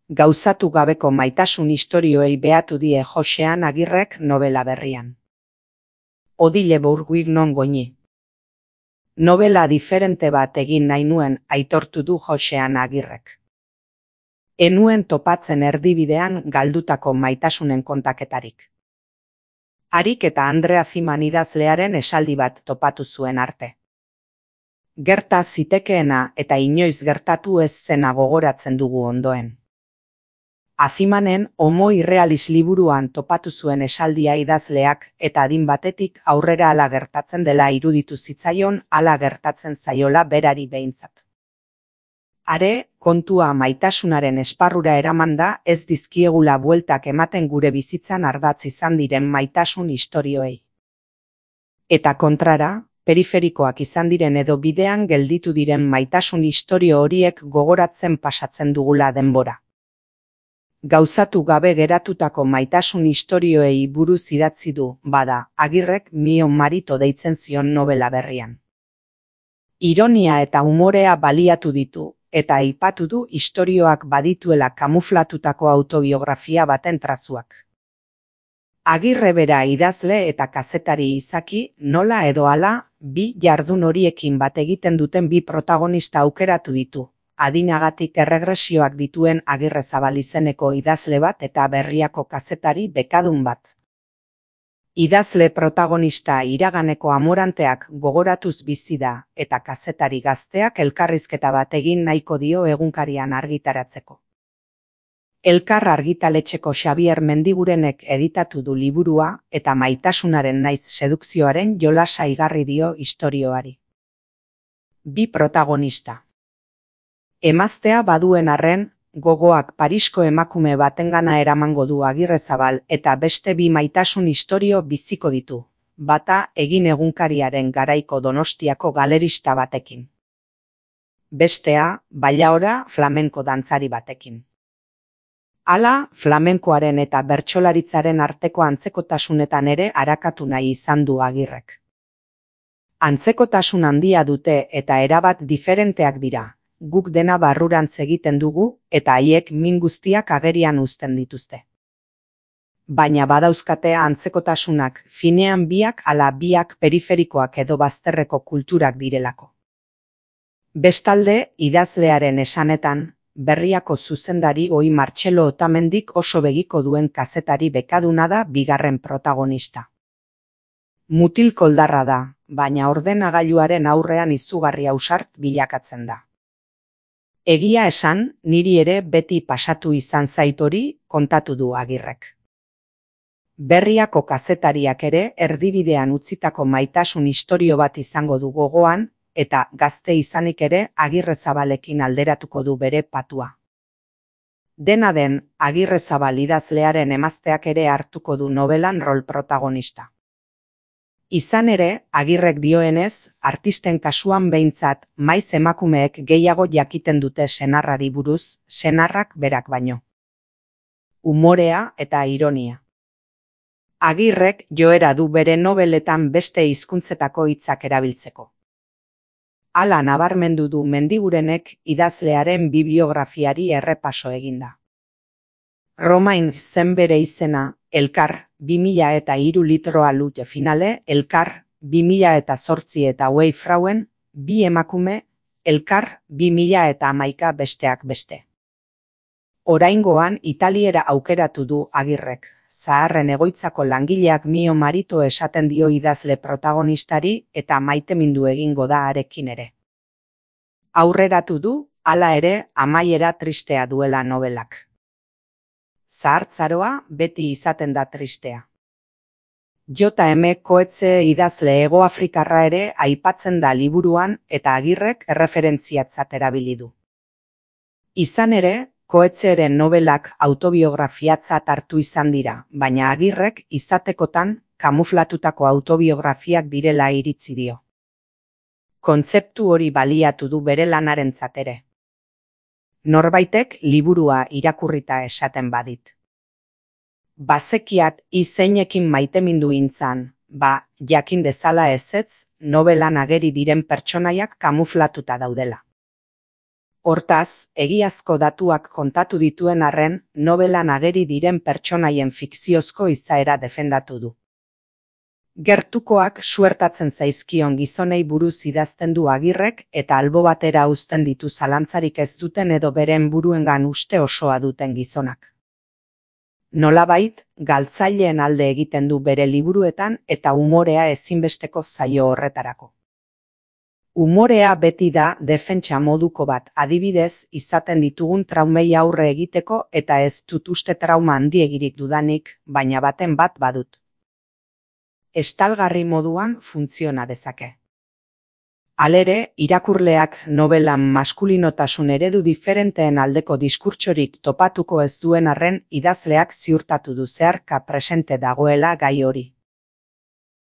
Gauzatu gabeko maitasun istorioei behatu die Joxean Agirrek nobela berrian. Odile Bourguignon goñi. Nobela diferente bat egin nahi nuen aitortu du Joxean Agirrek. Enuen topatzen erdibidean galdutako maitasunen kontaketarik. Harik eta Andrea Ziman idazlearen esaldi bat topatu zuen arte. Gerta zitekeena eta inoiz gertatu ez zena gogoratzen dugu ondoen. Azimanen Homo Irrealis liburuan topatu zuen esaldia idazleak eta adin batetik aurrera hala gertatzen dela iruditu zitzaion hala gertatzen zaiola berari behintzat. Are, kontua maitasunaren esparrura eramanda ez dizkiegula bueltak ematen gure bizitzan ardatz izan diren maitasun istorioei. Eta kontrara, periferikoak izan diren edo bidean gelditu diren maitasun istorio horiek gogoratzen pasatzen dugula denbora. Gauzatu gabe geratutako maitasun istorioei buruz idatzi du, bada, Agirrek Mio Marito deitzen zion nobela berrian. Ironia eta umorea baliatu ditu, eta aipatu du istorioak badituela kamuflatutako autobiografia baten trazuak. Agirre bera idazle eta kazetari izaki, nola edo hala, bi jardun horiekin bat egiten duten bi protagonista aukeratu ditu. Adinagatik erregresioak dituen Agirrezabal izeneko idazle bat eta Berriako kazetari bekadun bat. Idazle protagonista iraganeko amoranteak gogoratuz bizi da eta kazetari gazteak elkarrizketa bat egin nahiko dio egunkarian argitaratzeko. Elkar argitaletxeko Xabier Mendigurenek editatu du liburua eta maitasunaren naiz sedukzioaren jolasa igarri dio istorioari. Bi protagonista. Emaztea baduen arren, gogoak Parisko emakume batengana eramango du Agirrezabal eta beste bi maitasun istorio biziko ditu, bata Egin egunkariaren garaiko Donostiako galerista batekin. Bestea, Bailaora flamenko dantzari batekin. Hala, flamenkoaren eta bertsolaritzaren arteko antzekotasunetan ere arakatu nahi izan du Agirrek. Antzekotasun handia dute eta erabat diferenteak dira. Guk dena barrurantz egiten dugu eta haiek min guztiak agerian uzten dituzte. Baina badauzkate antzekotasunak finean biak ala biak periferikoak edo bazterreko kulturak direlako. Bestalde, idazlearen esanetan, Berriako zuzendari Oi Martxelo Otamendik oso begiko duen kazetari bekaduna da bigarren protagonista. Mutil koldarra da, baina ordenagailuaren aurrean izugarri ausart bilakatzen da. Egia esan, niri ere beti pasatu izan zait hori kontatu du Agirrek. Berriako kazetariak ere erdibidean utzitako maitasun istorio bat izango du gogoan eta gazte izanik ere Agirrezabalekin alderatuko du bere patua. Dena den, Agirrezabal idazlearen emazteak ere hartuko du nobelan rol protagonista. Izan ere, Agirrek dioenez, artisten kasuan behintzat maiz emakumeek gehiago jakiten dute senarrari buruz, senarrak berak baino. Umorea eta ironia. Agirrek joera du bere nobeletan beste hizkuntzetako hitzak erabiltzeko. Hala nabarmendu du Mendigurenek idazlearen bibliografiari errepaso eginda. Romain zen bere izena, Elkar 2003 litroa lute finale, Elkar 2008 eta Wei Frauen, bi emakume, Elkar 2011 besteak beste. Oraingoan Italiera aukeratu du Agirrek, zaharren egoitzako langileak Mio Marito esaten dio idazle protagonistari eta maitemindu egingo da harekin ere. Aurreratu du, hala ere, amaiera tristea duela nobelak. Zahartzaroa beti izaten da tristea. J.M. Coetzee idazle Hegoafrikarra ere aipatzen da liburuan eta Agirrek erreferentziatzat erabili du. Izan ere, Coetzeeren nobelak autobiografiatzat hartu izan dira, baina Agirrek izatekotan kamuflatutako autobiografiak direla iritzi dio. Kontzeptu hori baliatu du bere lanarentzat ere. Norbaitek liburua irakurrita esaten badit. Bazekiat izeinekin maitemindu intzan, jakin dezala ezetz, nobelan ageri diren pertsonaiak kamuflatuta daudela. Hortaz, egiazko datuak kontatu dituen arren, nobelan ageri diren pertsonaien fikziozko izaera defendatu du. Gertukoak suertatzen zaizkion gizonei buruz idazten du Agirrek eta albo batera uzten ditu zalantzarik ez duten edo beren buruengan uste osoa duten gizonak. Nolabait, galtzaileen alde egiten du bere liburuetan eta umorea ezinbesteko zaio horretarako. Umorea beti da defentsa moduko bat, adibidez, izaten ditugun traumei aurre egiteko eta ez dut uste trauma handiegirik dudanik, baina baten bat badut. Estalgarri moduan funtziona dezake. Halere, irakurleak nobelan maskulinotasun eredu diferenteen aldeko diskurtsorik topatuko ez duen arren idazleak ziurtatu du zeharka presente dagoela gai hori.